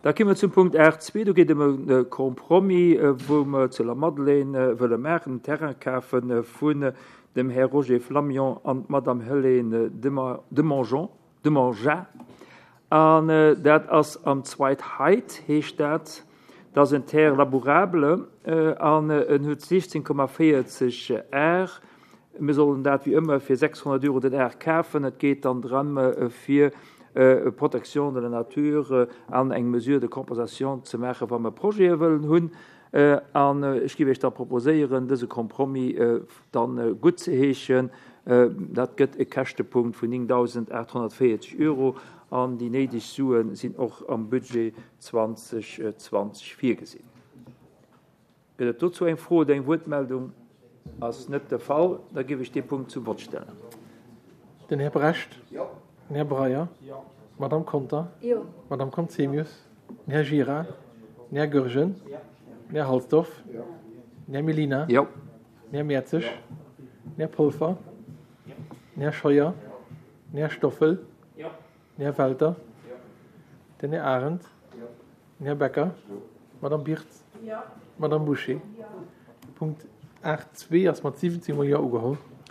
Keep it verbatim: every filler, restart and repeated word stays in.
Da komme mer zum Punkt aacht zwee. Do geet et ëm e Compromis, wou mer zu Lamadelaine wëlle maachen, en Terrain kafe vun dem Här Roger Flamion an d'Madame Helène Demangeon, Demangin. An dat ass am Zweitheit, heescht dat. Dat ass en Terre labourable an en huet siechzéng Komma véierzeg Ar. Mir sollen dat wéi ëmmer fir sechshonnert Euro den Ar kafen. Et geet dann drëm, fir Protection de la nature an eng Mesure de compensation ze maachen, wa mer Projete wëllen hunn. An ech géif Iech da proposéieren, dëse Compromis dann guttzeheeschen. Dat gëtt e Käschtepunkt vun néngdausendaathonnertvéierzeg Euro an déi néideg Sue sinn och am Budget zweitausendzwanzig virgesinn. Gëtt et dozou eng Fro oder eng Wuertmeldung? Ass net de Fall. Da géif ech dee Punkt zum Vott stellen. Den Här Brecht? Jo. Den Här Breyer? Jo. Madame Conter? Jo. Madame Conzemius? Den Här Gira? Den Här Goergen? Jo. Den Här Halsdorf? Jo. Den Här Mellina? Jo. Den Här Mertzig? Den Här Polfer? Den Här Scheuer? Den Här Stoffel? Jo. Den Här Welter? Jo. Den Här Arendt? Jo. Den Här Becker? Jo. Madame Birtz? Jo. Madame Boucher? Jo. Punkt aacht zwee ass mat siwwenzéng Mol Jo ugeholl.